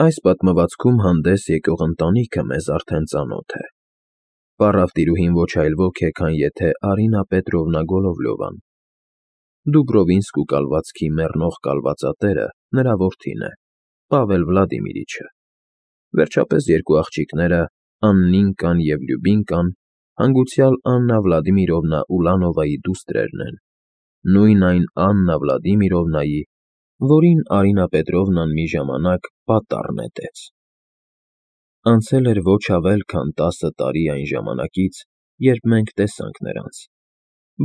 Այս պատմվածքում հանդես եկող ընտանիքը մեզ արդեն ծանոթ է։ Պառավ տիրուհին ոչ այլ ոք է, քան եթե Արինա Պետրովնա Գոլովլյովան։ Դուբրովինսկու կալվածքի մեռնող կալվածատերը նրա որդին է, Պավել Վլադիմիրիչը։ Վերջապես երկու աղջիկները, Աննինկան և Լյուբինկան, հանգուցյալ Աննա Վլադիմիրովնա Ուլանովայի դուստրերն են, նույն այն Աննա Վլադիմիրովնայի, որին Արինա Պետրովնան մի ժամանակ պատառ նետեց։ Անցել էր ոչ ավել քան 10 տարի այն ժամանակից, երբ մենք տեսանք նրանց,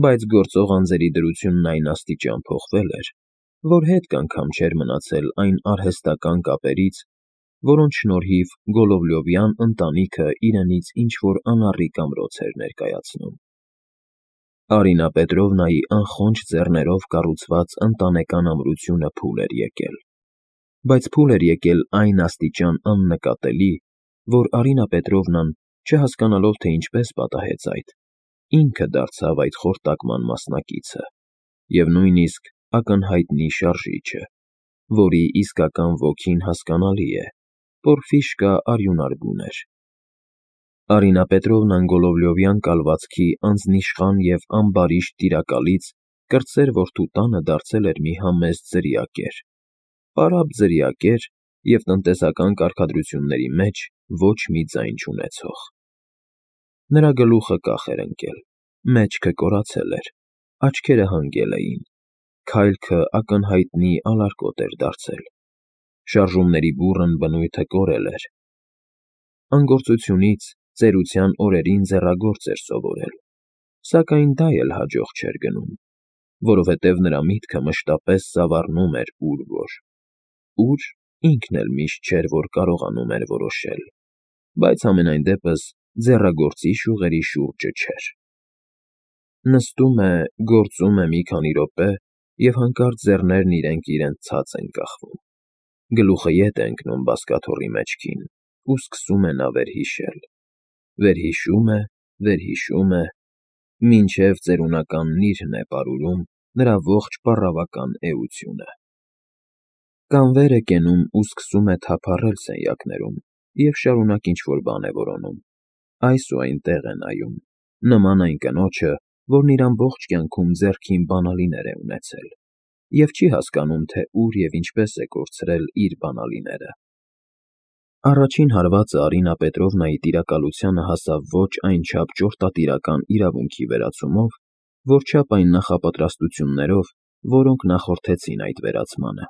բայց գործող անձերի դրությունն այն աստիճան փոխվել էր, որ հետք անգամ չէր մնացել այն արհեստական կապերից, որոնց շնորհիվ Գոլովլյովյան ընտանիքը իրենից ինչ-որ անառիկ ամրոց էր ներկայացնում։ Արինա Պետրովնայի անխոնջ ձեռներով կառուցված ընտանեկան ամրությունը փուլ էր եկել, բայց փուլ էր եկել այն աստիճան աննկատելի, որ Արինա Պետրովնան, չհասկանալով, թե ինչպես պատահեց այդ, ինքը դարձավ այդ խորտակման մասնակիցը և նույնիսկ ակնհայտնի շարժիչը, որի իսկական ոգին հասկանալի է, Պորֆիշկա արյունարբուն էր։ Արինա Պետրովնան Գոլովլյովյան կալվածքի անձնիշխան և ամբարիշտ տիրակալից կրտսեր որդու տանը դարձել էր մի համեստ ձրիակեր, պարապ ձրիակեր և տնտեսական կարգադրությունների մեջ ոչ մի ձայն չունեցող։ Նրա գլուխը կախ էր ընկել, մեջքը կորացել էր, աչքերը հանգել էին, քայլքը ակնհայտնի ալարկոտ էր դարձել, շարժումների բուռն բնույթը կորել էր։ Անգործությունից ծերության օրերին ձեռագործ էր սովորել, սակայն դա էլ հաջող չէր գնում, որովհետև նրա միտքը մշտապես սավառնում էր ուր, ինքն էլ միշտ չէր, որ կարողանում էր որոշել, բայց համենայն դեպս ձեռագործի շուղերի շուրջը չէր։ Նստում է, գործում է մի քանի րոպե և հանկարծ ձեռներն իրենք ցած են կախվում, գլուխը ետ է ընկնում բազկաթոռի մեջքին ու սկսում է նա վերհիշել, վերհիշում է, մինչև ծերունական նիրհն է պարուրում նրա ողջ պառավական էությունը։ Կամ վեր է կենում ու սկսում է թափառել սենյակներում և շարունակ ինչ֊որ բան է որոնում, այս ու այնտեղ է նայում, նման այն կնոջը, որն իր ամբողջ կյանքում ձեռքին բանալիներ է ունեցել և չի հասկանում, թե ուր և ինչպես է կորցրել իր բանալիները։ Առաջին հարվածը Արինա Պետրովնայի տիրակալությանը հասավ ոչ այնչափ ճորտատիրական իրավունքի վերացումով, որչափ այն նախապատրաստություններով, որոնք նախորդեցին այդ վերացմանը։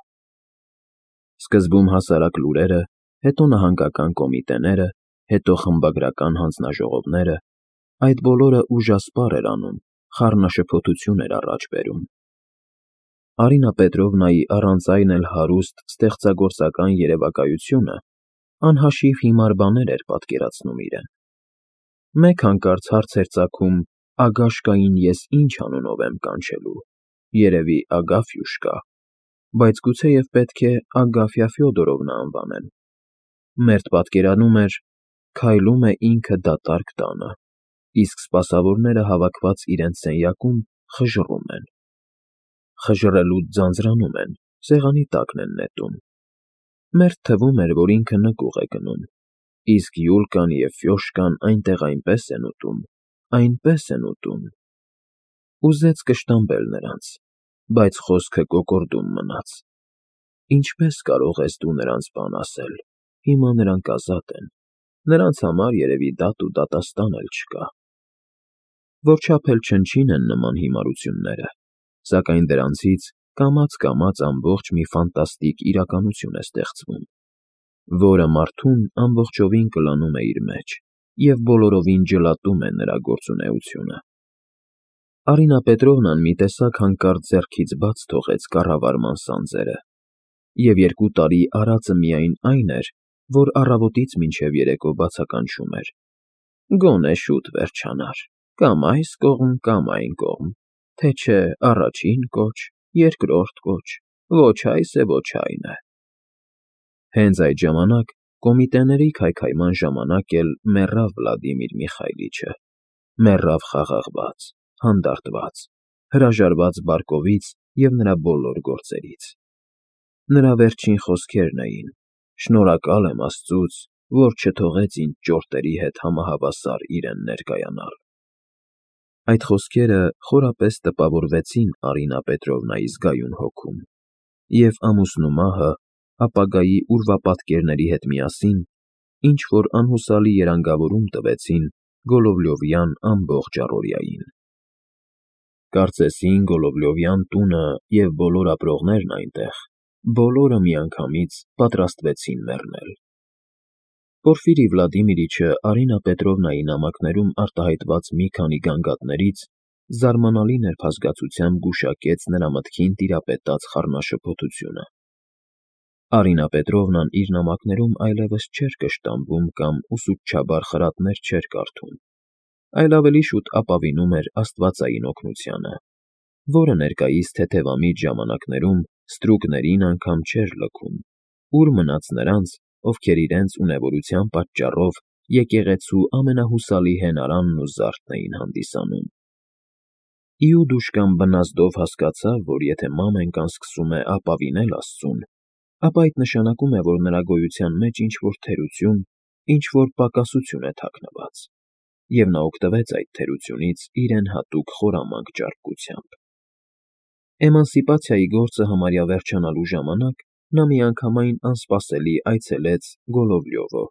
Սկզբում հասարակ լուրերը, հետո նահանգական կոմիտեները, հետո խմբագրական հանձնաժողովները, այդ բոլորը ուժասպառ էր անում, խառնաշփոթություն էր առաջ բերում։ Արինա Պետրովնայի առանց այն էլ հարուստ ստեղծագործական երևակայությունը անհաշիվ հիմար բաներ էր պատկերացնում իրեն։ Մեկ հանկարծ հարց էր ծագում Ագաշկային ես ինչ անունով եմ կանչելու, երևի Ագաֆյուշկա, բայց գուցեև պետք է Ագաֆյա Ֆյոդորովնա անվանեմ։ Մերթ պատկերանում էր՝ քայլում է ինքը դատարկ տանը, իսկ սպասավորները հավաքված իրենց սենյակում խժռում են։ Խժռելուց ձանձրանում են, սեղանի տակն են նետում։ Մերթ թվում էր, որ ինքը նկուղ է գնում, իսկ Յուլկան և Ֆյոշկան այնտեղ այնպես են ուտում։ Ուզեց կշտամբել նրանց, բայց խոսքը կոկորդում մնաց։ Ինչպե՞ս կարող ես դու նրանց բան ասել, հիմա նրանք ազատ են, նրանց համար երևի դատ ու դատաստան էլ չկա։ Որչափ էլ չնչին են նման հիմարությունները, սակայն դրանցից կամաց ամբողջ մի ֆանտաստիկ իրականություն է ստեղծվում, որը մարդուն ամբողջովին կլանում է իր մեջ և բոլորովին ջլատում է նրա գործունեությունը։ Արինա Պետրովնան մի տեսակ հանկարծ ձեռքից բաց թողեց կառավարման սանձերը, և 2 տարի արածը միայն այն էր, որ առավոտից մինչև երեկո բացականչում էր. գոնե շուտ վերջանար, կամ այս կողմ, կամ այն կողմ, թե չէ առաջին կոչ, երկրորդ կոչ, ոչ այս է, ոչ այն է։ Հենց այդ ժամանակ կոմիտեների քայքայման ժամանակ էլ մեռավ Վլադիմիր Միխայիլիչը, մեռավ խաղաղված, հանդարտված, հրաժարված բարկովից և նրա բոլոր գործերից։ Նրա վերջին խոսքերն էին, Շնորհակալ եմ Աստծուց, որ չթողեց ինձ ճորտերի հետ համահավասար իրեն ներկայանալ։ Այդ խոսքերը խորապես տպավորվեցին Արինա Պետրովնայի զգայուն հոգում, և ամուսնու մահը ապագայի ուրվապատկերների հետ միասին ինչ-որ անհուսալի երանգավորում տվեցին Գոլովլյովյան ամբողջ առօրյային։ Կարծեսին Գոլովլյովյան տունը և բոլոր ապրողներն այնտեղ, բոլորը միանգամից պատրաստվեցին մեռնել։ Պորֆիրի Վլադիմիրիչը Արինա Պետրովնայի նամակներում արտահայտված մի քանի գանգատներից զարմանալի նրբազգացությամբ գուշակեց նրա մտքին տիրապետած խառնաշփոթությունը։ Արինա Պետրովնան իր նամակներում այլևս չէր կշտամբում կամ ուսուցչաբար խրատներ չէր կարդում, այլ ավելի շուտ ապավինում էր աստվածային օգնությանը, որը ներկայիս թեթևամիջ ժամանակներում ստրուկներին անգամ չէր լքում, ուր մնաց նրանց, ովքեր իրենց ունևորության պատճառով եկեղեցու ամենահուսալի հենարանն ու զարդն էին հանդիսանում։ Իուդուշկան բնազդով հասկացավ, որ եթե մամենկան սկսում է ապավինել Աստծուն, ապա այդ նշանակում է, որ նրա գոյության մեջ ինչ-որ թերություն, ինչ-որ պակասություն է թաքնված, և նա օգտվեց այդ թերությունից իրեն հատուկ խորամանկ ճարպկությամբ։ Էմանսիպացիայի գործը համարյա վերջանալու ժամանակ նա միանգամայն անսպասելի այցելեց Գոլովլյովը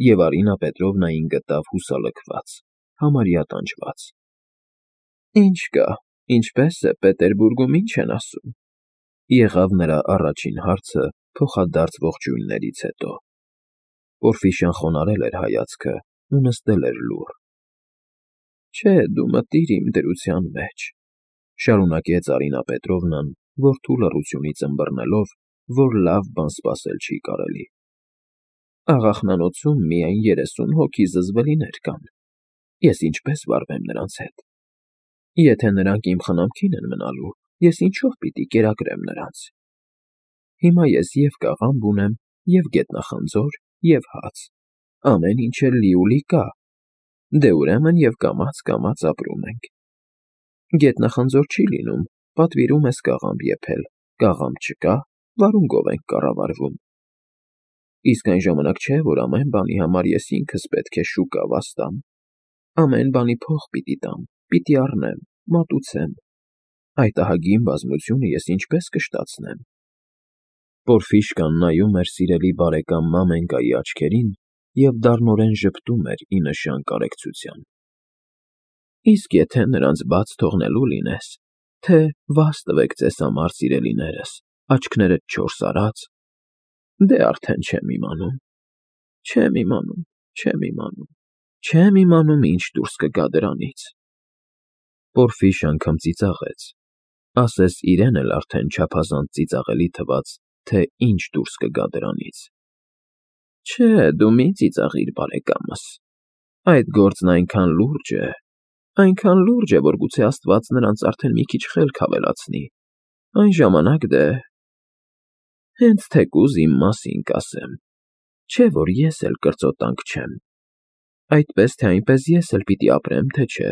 և Արինա Պետրովնային գտավ հուսալքված, համարյա տանջված։ «Ինչ կա, ինչպե՞ս է, Պետերբուրգում ինչ են ասում», եղավ նրա առաջին հարցը փոխադարձ ողջույններից հետո։ Պորֆիշյան խոնարհել էր հայացքը ու նստել էր լուռ։ «Չէ, դու մտիր իմ դրության մեջ», շարունակեց Արինա Պետրովնան, որդու լռությունից ըմբռնելով, որ լավ բան սպասել չի կարելի։ «Աղախնանոցում միայն 30 հոգի զզվելիներ կան։ Ես ինչպե՞ս վարվեմ նրանց հետ։ Եթե նրանք իմ խնամքին են մնալու, ես ինչով պիտի կերակրեմ նրանց։ Հիմա ես և կաղամբ ունեմ, և գետնախնձոր, և հաց, ամեն ինչ էլ լիուլի կա, դե ուրեմն և կամաց֊կամաց ապրում ենք։ Գետնախնձոր չի լինում, պատվիրում ես կաղամբ եփել, կաղամբ չկա, վարունգով ենք կառավարվում։ Իսկ այն ժամանակ չէ, որ ամեն բանի համար ես ինքս պետք է շուկա վաստամ, ամեն բանի փող պիտի տամ, պիտի առնեմ, մատուցեմ։ Այդ ահագին բազմությունը ես ինչպե՞ս կշտացնեմ»։ Պորֆիշկան նայում էր սիրելի բարեկամ Մամենկայի աչքերին և դառնորեն ժպտում էր ի նշան կարեկցության։ «Իսկ եթե նրանց բաց թողնելու լինես, թե վաս տվեք ձեզ համար, սիրելիներս, աչքներդ չորս արած, դե արդեն չեմ իմանում, չեմ իմանում ինչ դուրս կգա դրանից»։ Պորֆիշան քմծիծաղեց, ասես իրեն էլ արդեն չափազանց ծիծաղելի թվաց, թե ինչ դուրս կգա դրանից։ «Չէ, դու մի ծիծաղիր, բարեկամս, այդ գործն այնքան լուրջ է, որ գուցե Աստված նրանց արդեն մի քիչ խելք ավելացնի, այն ժամանակ դե… Հենց թեկուզ իմ մասին կասեմ, չէ՞ որ ես էլ կրծոտանկ չեմ։ Այդպես թե այնպես ես էլ պիտի ապրեմ, թե չէ,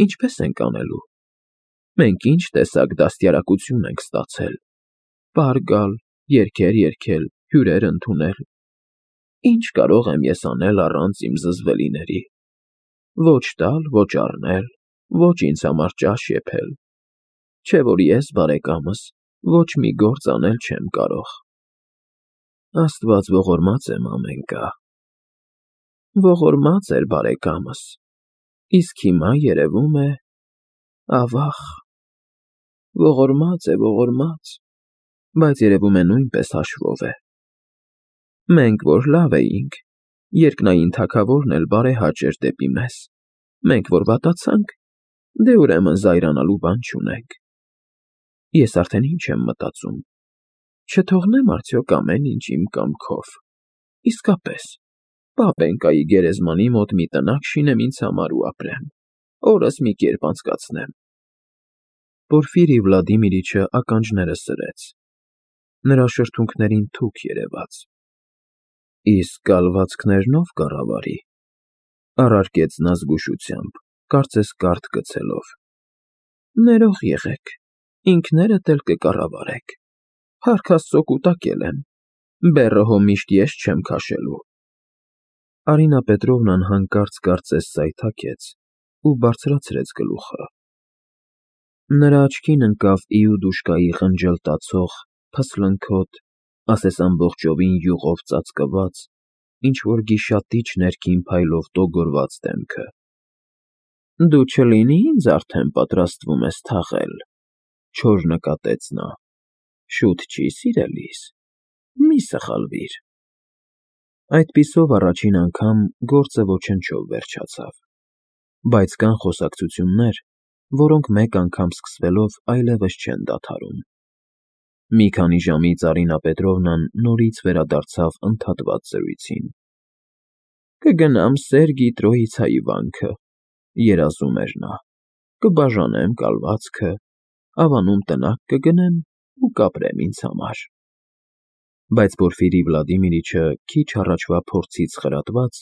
ինչպե՞ս ենք անելու։ Մենք ինչ տեսակ դաստիարակություն ենք ստացել. պար գալ, երգեր երգել, հյուրեր ընդունել… Ինչ կարող եմ ես անել առանց իմ զզվելիների։ Ոչ տալ, ոչ առնել, ոչ ինձ համար ճաշ եփել… Չէ՞ որ ես, բարեկամս, ոչ մի գործ անել չեմ կարող։ Աստված ողորմած է, Մամենկա, ողորմած էր, բարեկամս, իսկ հիմա երևում է… ավա՜ղ… ողորմած, բայց երևում է նույնպես հաշվով է։ Մենք որ լավ էինք, երկնային թագավորն էլ բարեհաճ էր դեպի մեզ, մենք որ վատացանք, դե ուրեմն զայրանալու բան չունենք։ Ես արդեն ինչ եմ մտածում. չթողնե՞մ արդյոք ամեն ինչ իմ կամքով, իսկապես, Պապենկայի գերեզմանի մոտ մի տնակ շինեմ ինձ համար ու ապրեմ, օրս մի կերպ անցկացնեմ։ Պորֆիրի Վլադիմիրիչը ականջները սրեց, նրա շրթունքներին թուք երևաց։ «Իսկ կալվածքներնո՞վ կառավարի», առարկեց նա զգուշությամբ, կարծես կարդ գցելով։ «Ներող եղեք, ինքներդ էլ կկառավարեք, փառք Աստծո կուտակել եմ, Բեռը հո միշտ ես չեմ քաշելու։ Արինա Պետրովնան հանկարծ կարծես սայթաքեց ու բարձրացրեց գլուխը։ Նրա աչքին ընկավ Իուդուշկայի խնջլտացող, փսլնքոտ, ասես ամբողջովին յուղով ծածկված, ինչ-որ գիշատիչ ներքին փայլով տոգորված դեմքը։ Դու չլինի՞ ինձ արդեն պատրաստվում ես թաղել, չոր նկատեց նա։ Շուտ չի, սիրելիս, մի սխալվիր։ Այդպիսով առաջին անգամ գործը ոչնչով վերջացավ, բայց կան խոսակցություններ, որոնք մեկ անգամ սկսվելով այլևս չեն դադարում։ Մի քանի ժամից Արինա Պետրովնան նորից վերադարձավ ընդհատված զրույցին։ Կգնամ Սերգի Տրոիցայի վանքը, երազում էր նա, կբաժանեմ կալվածքը, ավանում տնակ կգնեմ ու կապրեմ ինձ համար։ Բայց Պորֆիրի Վլադիմիրիչը քիչ առաջվա փորձից խրատված,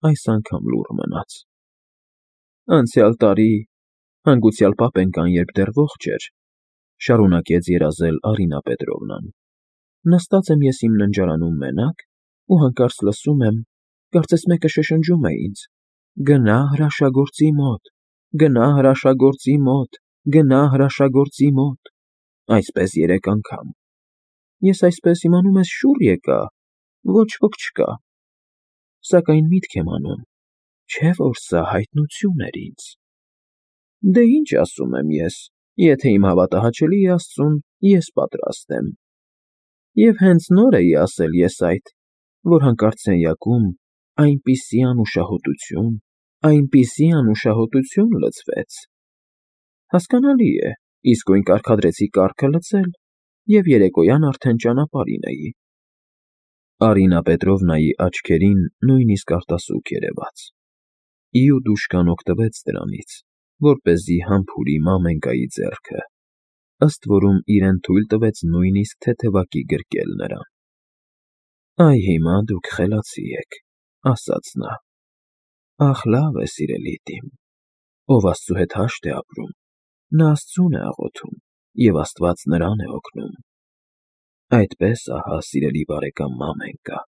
այս անգամ լուռ մնաց։ Անցյալ տարի, հանգուցյալ պապենկան երբ դեռ ողջ էր, շարունակեց երազել Արինա Պետրովնան, նստած եմ ես իմ ննջարանում մենակ ու հանկարծ լսում եմ, կարծես մեկը շշնջում է ինձ. գնա հրաշագործի մոտ, գնա հրաշագործի մոտ, գնա հրաշագործի մոտ, այսպես 3 անգամ։ Ես այսպես իմանում ես շուռ եկա, ոչ ոք չկա, սակայն միտք եմ անում, չէ՞ որ սա հայտնություն էր ինձ։ Դե ինչ ասում եմ ես, եթե իմ հավատահաճելի է Աստծուն, ես պատրաստ եմ։ Եվ հենց նոր էի ասել ես այդ, որ հանկարծ սենյակում այնպիսի անուշահոտություն լցվեց։ Հասկանալի է, իսկույն կարգադրեցի կառքը լցել և երեկոյան արդեն ճանապարհին էի։ Արինա Պետրովնայի աչքերին նույնիսկ արտասուք երևաց։ Իուդուշկան օգտվեց դրանից, որպեսզի համբուրի մամենկայի ձեռքը, ըստ որում իրեն թույլ տվեց նույնիսկ թեթևակի գրկել նրան։ Այ հիմա դուք խելացի եք, ասաց նա։ Ախ, լավ է, սիրելի տիմ, ով Աստծու հետ հաշտ է ապրում, նա Աստծուն է աղոթում, և Աստված նրան է օգնում։ Այդպես, ահա, սիրելի բարեկամ մամենկա։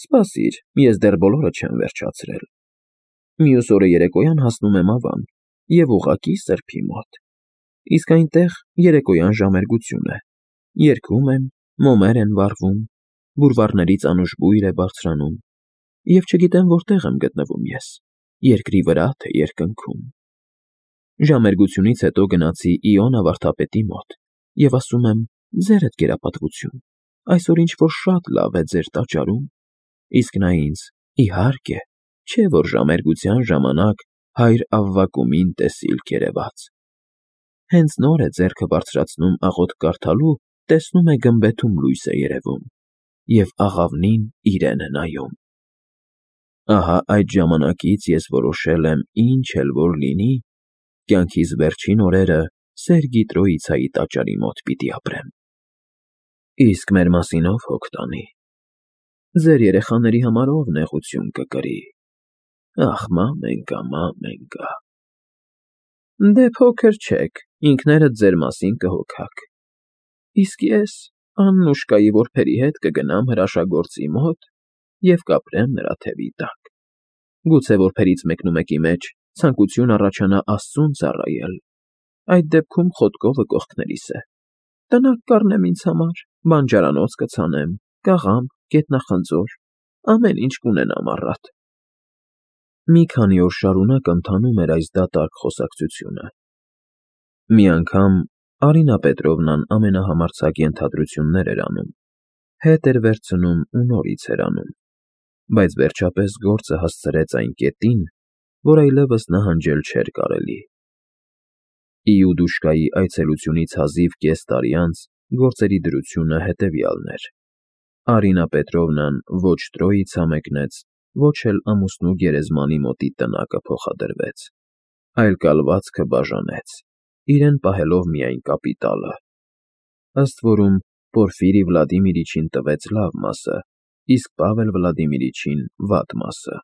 Սպասիր, ես դեռ բոլորը չեմ վերջացրել։ Մյուս օրը երեկոյան հասնում եմ Ավան և ուղղակի Սրբի մոտ։ Իսկ այնտեղ երեկոյան ժամերգություն է։ Երգում են, մոմեր են վառվում, բուրվառներից անուշ բույր է բարձրանում, և չգիտեմ որտեղ եմ գտնվում ես, երկրի վրա, թե երկնքում։ Ժամերգությունից հետո գնացի Իոնա վարդապետի մոտ և ասում եմ. ձերդ գերապատվություն, այսօր ինչ-որ շատ լավ է ձեր տաճարում, իսկ նա ինձ. իհարկե, չէ՞ որ ժամերգության ժամանակ հայր Ավվակումին տեսիլք երևաց։ Հենց նոր է ձեռքը բարձրացնում աղոթք կարդալու, տեսնում է գմբեթում լույս է երևում, և աղավնին իրեն է նայում։ Ահա այդ ժամանակից ես որոշել եմ ինչ էլ որ լինի, կյանքիս վերջին օրերը Սերգի Տրոիցայի տաճարի մոտ պիտի ապրեմ։ Իսկ մեր մասին ով հոգ տանի։ Ձեր երեխաների համար ով նեղություն կկրի։ Ախ, մամենկա, մամենկա։ Դե փոքր չեք, ինքներդ ձեր մասին կհոգաք։ Իսկ ես Աննուշկայի որբերի հետ կգնամ հրաշագործի մոտ և կապրեմ նրա թևի տակ։ Գուցե որբերից մեկնումեկի մեջ ցանկություն առաջանա Աստծուն ծառայել, այդ դեպքում խոտկովը կողքներիս է։ Տնակ կառնեմ ինձ համար, բանջարանոց կցանեմ, կաղամբ, գետնախնձոր, ամեն ինչ կունենամ առատ։ Մի քանի օր շարունակ ընթանում էր այս դատարկ խոսակցությունը։ Մի անգամ Արինա Պետրովնան ամենահամարձակ ենթադրություններ էր անում, հետ էր վերցնում ու նորից էր անում, բայց վերջապես գործը հասցրեց այն կետին, որ այլևս նահանջել չէր կարելի։ Իուդուշկայի այցելությունից հազիվ կես տարի անց գործերի դրությունը հետևյալն էր. Արինա Պետրովնան ոչ Տրոիցա մեկնեց, ոչ էլ ամուսնու գերեզմանի մոտի տնակը փոխադրվեց, այլ կալվածքը բաժանեց, իրեն պահելով միայն կապիտալը, ըստ որում Պորֆիրի Վլադիմիրիչին տվեց լավ մասը, իսկ Պավել Վլադիմիրիչին վատ մասը։